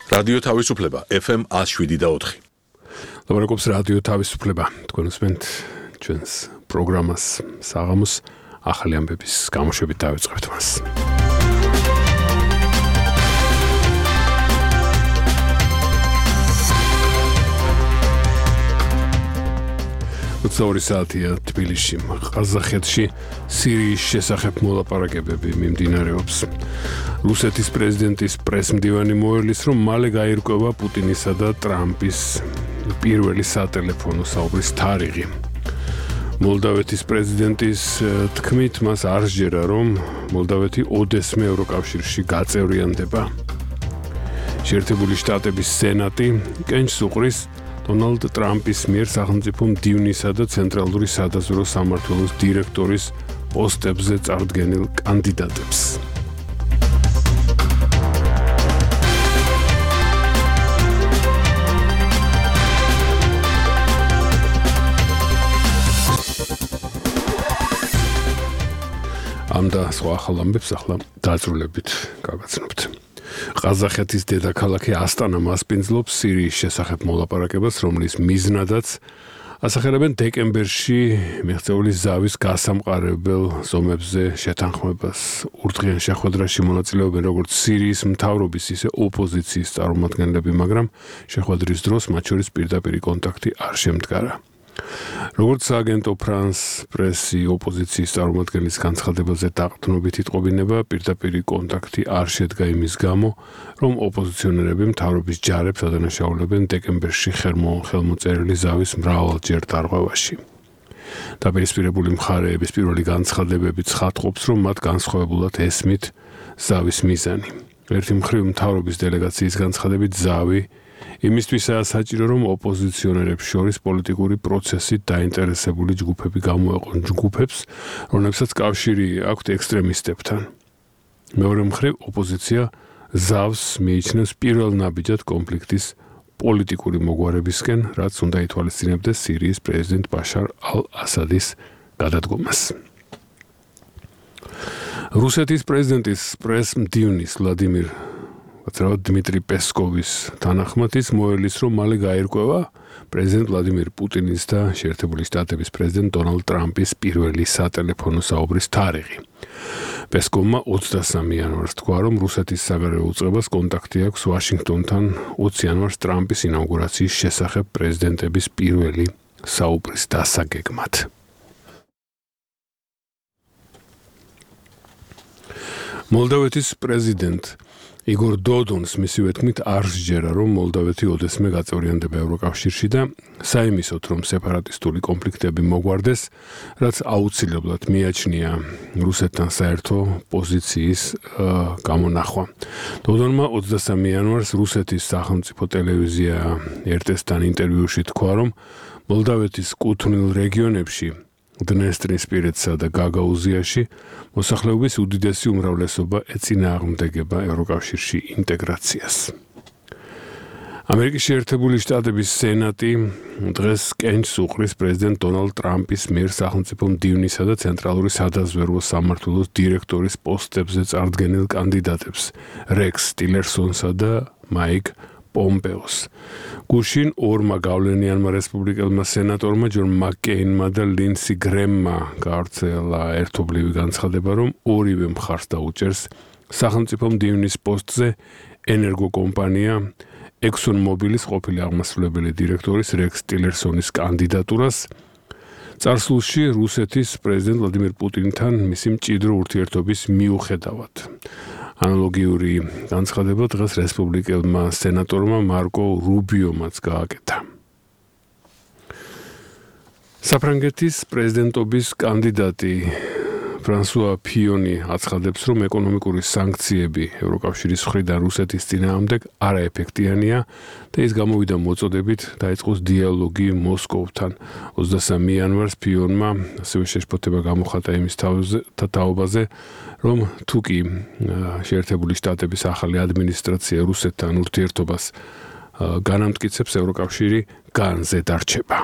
რადიო თავისუფლება FM 107.4. ლაპარაკობს რადიო თავისუფლება. თქვენ უსმენთ ჩვენს პროგრამას საღამოს ახალი ამბების გამოშვებით დავიწყებთ მას. ორი საათია თბილისში, ყაზახეთში სირიის შესახებ მოლაპარაკებები მიმდინარეობს. რუსეთის პრეზიდენტის პრესმდივანი მოელის, რომ მალე გაირკვევა პუტინისა და ტრამპის პირველი სატელეფონო საუბრის თარიღი. მოლდავეთის პრეზიდენტის თქმით, მას არ სჯერა, რომ მოლდავეთი ოდესმე ევროკავშირში გაწევრიანდება. შეერთებული შტატების სენატი კენჭს უყრის დონალდ ტრამპის მიერ სახელმწიფო მდივნისა და ცენტრალური სადაზვერვო სამმართველოს დირექტორის პოსტებზე წარდგენილ კანდიდატებს. ამ და სხვა ახალ ამბებს ახლა დაწვრილებით გავაცნობთ. ყაზახეთის დედაქალაქი ასტანა მასპინძლობს სირიის შესახებ მოლაპარაკებას, რომლის მიზნადაც ასახელებენ დეკემბერში მიღწეული ზავის გასამყარებელ ზომებზე შეთანხმებას. ურთღიან შეხვედრაში მონაწილეობენ როგორც სირიის მთავრობის, ისე ოპოზიციის წარმომადგენლები, მაგრამ შეხვედრის დროს მათ შორის პირდაპირი კონტაქტი არ შემდგარა. როგორც სააგენტო ფრანს პრესი ოპოზიციის წარმომადგენლის განცხადებაზე დაყრდნობით იტყობინება, პირდაპირი კონტაქტი არ შედგა იმის გამო, რომ ოპოზიციონერები მთავრობის ჯარებს ადანაშაულებენ დეკემბერში ხელმოწერილი ზავის მრავალჯერ დარღვევაში. დაპირისპირებული მხარეების პირველი განცხადებები ცხადყოფს, რომ მათ განსხვავებულად ესმით ზავის მიზანი. ერთი მხრივ მთავრობის დელეგაციის განცხადებით ზავი იმისთვისაა საჭირო, რომ ოპოზიციონერებს შორის პოლიტიკური პროცესით დაინტერესებული ჯგუფები გამოეყონ ჯგუფებს, რომლებსაც კავშირი აქვთ ექსტრემისტებთან. მეორე მხრივ ოპოზიცია ზავს მიიჩნევს პირველ ნაბიჯად კონფლიქტის პოლიტიკური მოგვარებისკენ, რაც უნდა ითვალისწინებდეს სირიის პრეზიდენტ ბაშარ ალ-ასადის გადადგომას. რუსეთის პრეზიდენტის პრესმდივნის დიმიტრი პესკოვის თანახმად ის მოელის, რომ მალე გაირკვევა პრეზიდენტ ვლადიმირ პუტინის და შეერთებული შტატების პრეზიდენტ დონალდ ტრამპის პირველი სატელეფონო საუბრის თარიღი. პესკოვმა 23 იანვარს თქვა, რომ რუსეთის საგარეო უწყებას კონტაქტი აქვს ვაშინგტონთან 20 იანვარს ტრამპის ინაუგურაციის შესახებ პრეზიდენტების პირველი საუბრის დასაგეგმად. მოლდავეთის პრეზიდენტ იგორ დოდონს მისივე თქმით არ სჯერა, რომ მოლდავეთი ოდესმე გაწევრიანდება ევროკავშირში და საიმისოდ, რომ სეპარატისტული კონფლიქტები მოგვარდეს, რაც აუცილებლად მიაჩნია რუსეთთან საერთო პოზიციის გამონახვა. დოდონმა 23 იანვარს რუსეთის სახელმწიფო ტელევიზია RT-სთან ინტერვიუში თქვა, რომ მოლდავეთის კუთვნილ რეგიონებში დნესტრისპირეთსა და გაგაუზიაში მოსახლეობის უდიდესი უმრავლესობა ეწინააღმდეგება ევროკავშირში ინტეგრაციას. ამერიკის შეერთებული შტატების სენატი დღეს კენჭს უყრის პრეზიდენტ დონალდ ტრამპის მიერ სახელმწიფო მდივნისა და ცენტრალური სადაზვერვო სამმართველოს დირექტორის პოსტებზე წარდგენილ კანდიდატებს რექს ტილერსონსა და მაიკ პომპეოს. გუშინ ორმა გავლენიანმა რესპუბლიკელმა სენატორმა ჯონ მაკკეინმა და ლინსი გრემმა გავრცელა ერთობლივი განცხადება, რომ ორივე მხარს დაუჭერს სახელმწიფო მდივნის პოსტზე ენერგოკომპანია ExxonMobilis ყოფილი აღმასრულებელი დირექტორის რექს ტილერსონის კანდიდატურას. წარსულში რუსეთის პრეზიდენტ ვლადიმირ პუტინთან მისი მჭიდრო ურთიერთობის მიუხედავად. ანალოგიური განცხადება დღეს რესპუბლიკელმა სენატორმა მარკო რუბიომაც გააკეთა. საფრანგეთის პრეზიდენტობის კანდიდატი ფრანსუა ფიონი აცხადებს, რომ ეკონომიკური სანქციები ევროკავშირის მხრიდან რუსეთის წინააღმდეგ არაეფექტიანია და ის გამოვიდა მოწოდებით დაიწყოს დიალოგი მოსკოვთან. 23 იანვარს ფიონმა ასევე შეშფოთება გამოხატა იმის თაობაზე, რომ თუკი შეერთებული შტატების ახალი ადმინისტრაცია რუსეთთან ურთიერთობას განამტკიცებს, ევროკავშირი განზე დარჩება.